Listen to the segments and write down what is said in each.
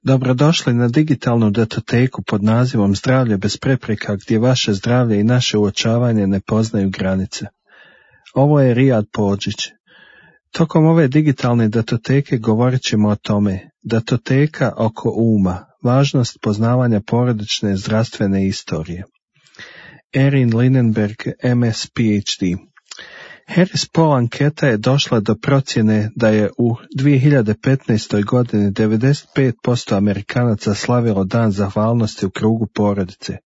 Dobrodošli na digitalnu datoteku pod nazivom Zdravlje bez prepreka, gdje vaše zdravlje i naše uočavanje ne poznaju granice. Ovo je Rijad Pođić. Tokom ove digitalne datoteke govorit ćemo o tome: datoteka oko uma, važnost poznavanja porodične zdravstvene istorije. Erin Linenberg, MS PhD. Harris Poll anketa je došla do procjene da je u 2015. godini 95% Amerikanaca slavilo dan zahvalnosti u krugu porodice.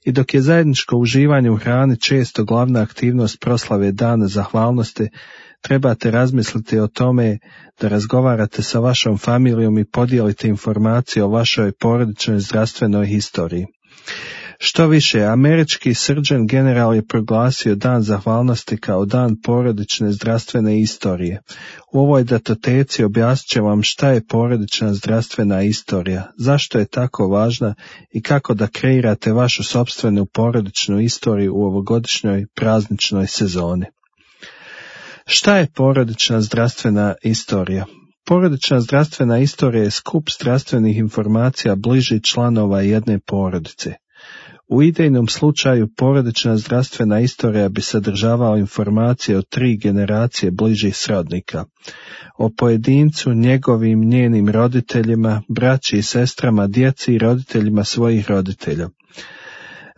I dok je zajedničko uživanje u hrani često glavna aktivnost proslave dana zahvalnosti, trebate razmisliti o tome da razgovarate sa vašom familijom i podijelite informacije o vašoj porodičnoj zdravstvenoj historiji. Što više, američki Surgeon General je proglasio dan zahvalnosti kao dan porodične zdravstvene istorije. U ovoj datoteci objasnit će vam šta je porodična zdravstvena istorija, zašto je tako važna i kako da kreirate vašu sopstvenu porodičnu istoriju u ovogodišnjoj prazničnoj sezoni. Šta je porodična zdravstvena istorija? Porodična zdravstvena istorija je skup zdravstvenih informacija bližih članova jedne porodice. U idejnom slučaju porodična zdravstvena istorija bi sadržavala informacije o 3 generacije bližih srodnika, o pojedincu, njenim roditeljima, braći i sestrama, djeci i roditeljima svojih roditelja.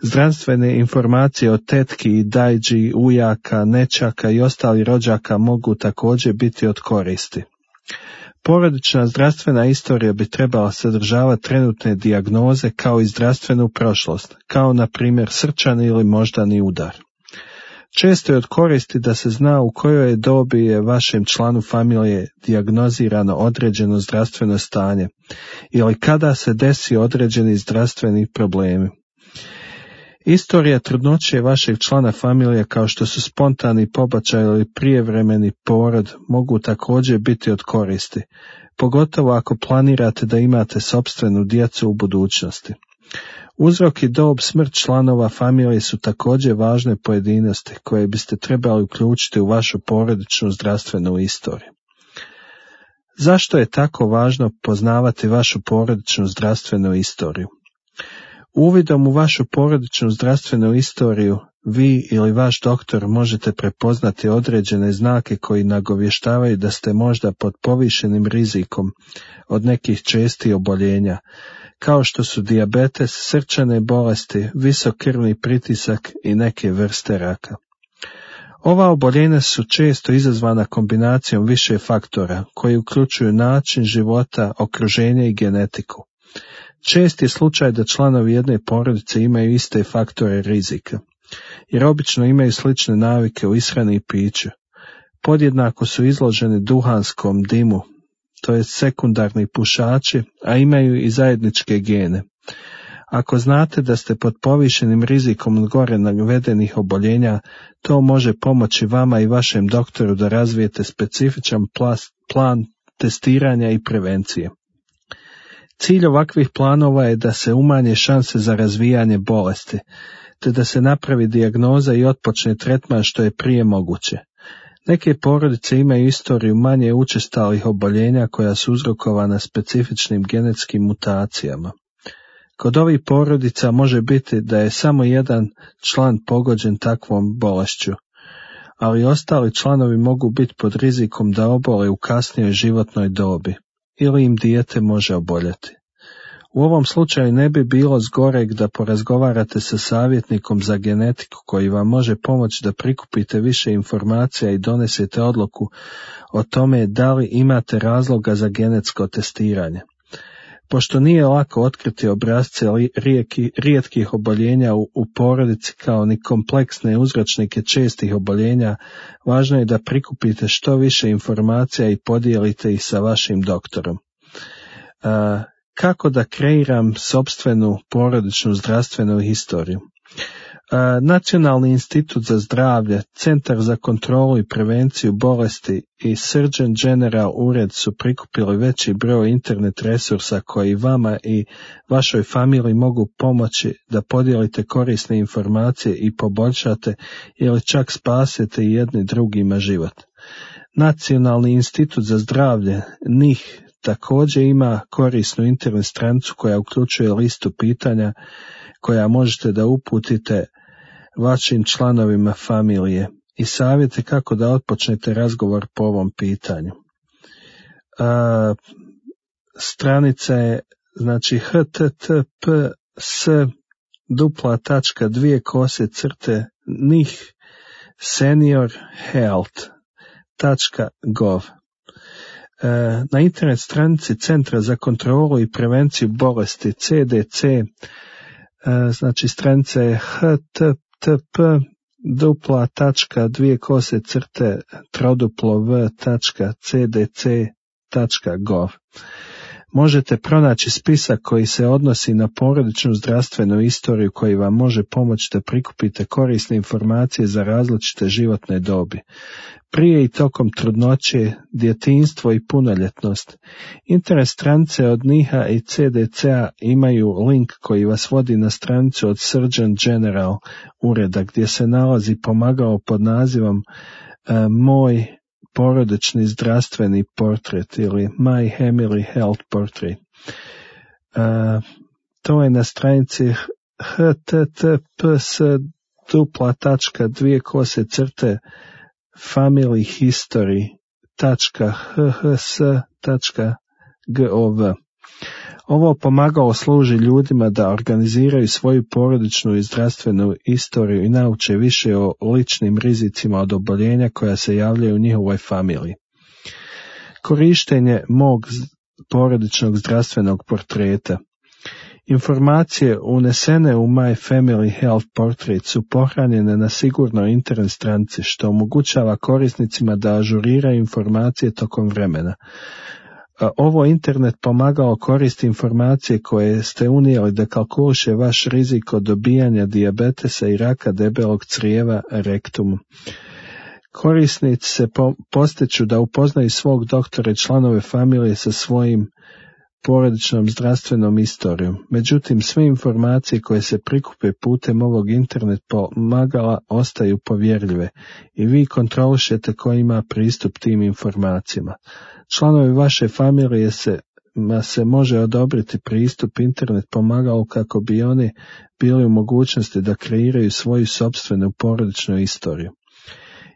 Zdravstvene informacije o tetki i dajđi, ujaka, nećaka i ostalih rođaka mogu također biti od koristi. Porodična zdravstvena istorija bi trebala sadržavati trenutne dijagnoze kao i zdravstvenu prošlost, kao na primjer srčani ili moždani udar. Često je od koristi da se zna u kojoj dobi je vašem članu familije dijagnozirano određeno zdravstveno stanje ili kada se desi određeni zdravstveni problemi. Istorija trudnoće vašeg člana familije, kao što su spontani pobačaj ili prijevremeni porod, mogu također biti od koristi, pogotovo ako planirate da imate sopstvenu djecu u budućnosti. Uzrok i dob, smrt članova familije su također važne pojedinosti koje biste trebali uključiti u vašu porodičnu zdravstvenu istoriju. Zašto je tako važno poznavati vašu porodičnu zdravstvenu istoriju? Uvidom u vašu porodičnu zdravstvenu istoriju, vi ili vaš doktor možete prepoznati određene znake koji nagovještavaju da ste možda pod povišenim rizikom od nekih čestih oboljenja, kao što su dijabetes, srčane bolesti, visok krvni pritisak i neke vrste raka. Ova oboljenja su često izazvana kombinacijom više faktora koji uključuju način života, okruženje i genetiku. Čest je slučaj da članovi jedne porodice imaju iste faktore rizika, jer obično imaju slične navike u ishrani i piću. Podjednako su izloženi duhanskom dimu, to je sekundarni pušači, a imaju i zajedničke gene. Ako znate da ste pod povišenim rizikom od gore navedenih oboljenja, to može pomoći vama i vašem doktoru da razvijete specifičan plan testiranja i prevencije. Cilj ovakvih planova je da se umanje šanse za razvijanje bolesti, te da se napravi dijagnoza i otpočne tretman što je prije moguće. Neke porodice imaju istoriju manje učestalih oboljenja koja su uzrokovana specifičnim genetskim mutacijama. Kod ovih porodica može biti da je samo jedan član pogođen takvom bolešću, ali ostali članovi mogu biti pod rizikom da obole u kasnijoj životnoj dobi ili im dijete može oboljeti. U ovom slučaju ne bi bilo zgoreg da porazgovarate sa savjetnikom za genetiku koji vam može pomoći da prikupite više informacija i donesete odluku o tome da li imate razloga za genetsko testiranje. Pošto nije lako otkriti obrasce rijetkih oboljenja u porodici kao ni kompleksne uzročnike čestih oboljenja, važno je da prikupite što više informacija i podijelite ih sa vašim doktorom. Kako da kreiram sopstvenu porodičnu zdravstvenu historiju? Nacionalni institut za zdravlje, Centar za kontrolu i prevenciju bolesti i Surgeon General ured su prikupili veći broj internet resursa koji vama i vašoj familiji mogu pomoći da podijelite korisne informacije i poboljšate ili čak spasete jedni drugima život. Nacionalni institut za zdravlje, NIH, također ima korisnu internet stranicu koja uključuje listu pitanja koja možete da uputite vašim članovima familije i savjete kako da otpočnete razgovor po ovom pitanju. Stranica je znači https://nih-seniorhealth.gov. Na internet stranici Centra za kontrolu i prevenciju bolesti CDC, znači stranica je http://v.cdc.gov. Možete pronaći spisak koji se odnosi na porodičnu zdravstvenu istoriju koji vam može pomoći da prikupite korisne informacije za različite životne dobi. Prije i tokom trudnoće, djetinjstvo i punoljetnost. Internet stranice od NIH-a i CDC-a imaju link koji vas vodi na stranicu od Surgeon General ureda gdje se nalazi pomagalo pod nazivom Moj porodični zdravstveni portret ili My Family Health Portrait. To je na stranici https://familyhistory.hhs.gov. Ovo pomagalo služi ljudima da organiziraju svoju porodičnu i zdravstvenu istoriju i nauče više o ličnim rizicima od oboljenja koja se javljaju u njihovoj familiji. Korištenje mog porodičnog zdravstvenog portreta. Informacije unesene u My Family Health Portrait su pohranjene na sigurnoj internet stranici što omogućava korisnicima da ažuriraju informacije tokom vremena. Ovo internet pomagalo koristi informacije koje ste unijeli da kalkuliše vaš rizik od dobijanja dijabetesa i raka debelog crijeva rektum. Korisnici se postiču da upoznaju svog doktora i članove familije sa svojim porodičnom zdravstvenom istorijom. Međutim, sve informacije koje se prikupe putem ovog internet pomagala ostaju povjerljive i vi kontrolišete ko ima pristup tim informacijama. Članovi vaše familije se može odobriti pristup internet pomagalu kako bi oni bili u mogućnosti da kreiraju svoju sopstvenu porodičnu istoriju.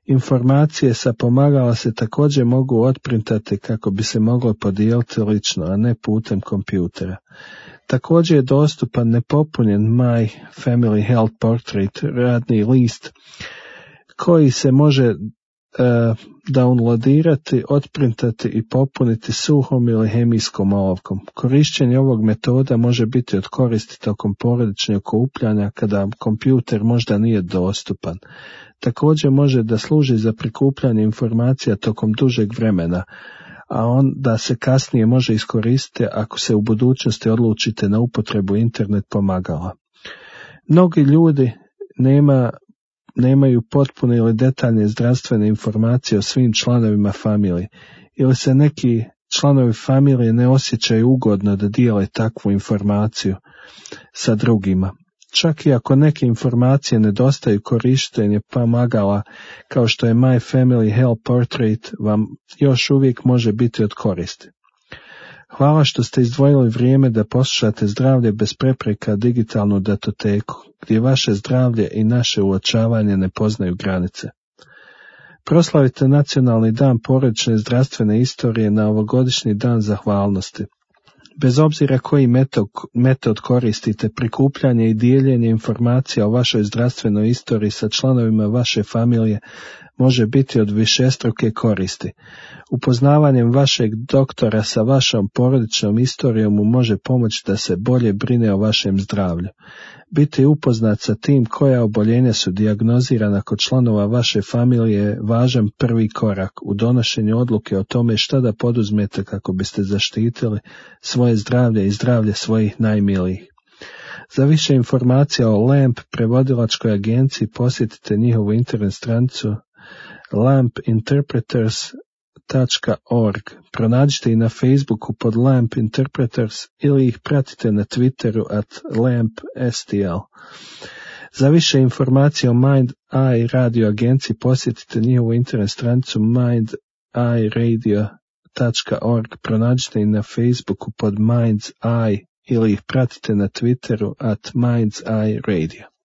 Informacije sa pomagala se također mogu otprintati kako bi se moglo podijeliti lično, a ne putem kompjutera. Također je dostupan nepopunjen My Family Health Portrait radni list koji se može downloadirati, otprintati i popuniti suhom ili hemijskom olovkom. Korištenje ovog metoda može biti od koristi tokom porodičnog okupljanja kada kompjuter možda nije dostupan. Također može da služi za prikupljanje informacija tokom dužeg vremena, a onda se kasnije može iskoristiti ako se u budućnosti odlučite na upotrebu internet pomagala. Mnogi ljudi nemaju potpune ili detaljne zdravstvene informacije o svim članovima familije ili se neki članovi familije ne osjećaju ugodno da dijele takvu informaciju sa drugima. Čak i ako neke informacije nedostaju, korištenje pomagala kao što je My Family Health Portrait vam još uvijek može biti od koristi. Hvala što ste izdvojili vrijeme da poslušate Zdravlje bez prepreka digitalnu datoteku, gdje vaše zdravlje i naše uočavanje ne poznaju granice. Proslavite Nacionalni dan porodične zdravstvene istorije na ovogodišnji dan zahvalnosti. Bez obzira koji metod koristite, prikupljanje i dijeljenje informacija o vašoj zdravstvenoj istoriji sa članovima vaše familije može biti od višestruke koristi. Upoznavanjem vašeg doktora sa vašom porodičnom istorijom mu može pomoći da se bolje brine o vašem zdravlju. Biti upoznat sa tim koja oboljenja su dijagnozirana kod članova vaše familije je važan prvi korak u donošenju odluke o tome šta da poduzmete kako biste zaštitili svoje zdravlje i zdravlje svojih najmilijih. Za više informacija o LAMP prevodilačkoj agenciji posjetite njihovu internet stranicu lampinterpreters.org. Pronađite ih na Facebooku pod LAMP Interpreters ili ih pratite na Twitteru @lampstl. Za više informacija o Mind Eye radio agenciji posjetite njihovu internet stranicu mindeyeradio.com. radio.org, pronađite i na Facebooku pod Mind's Eye ili ih pratite na Twitteru @Mind's Eye Radio.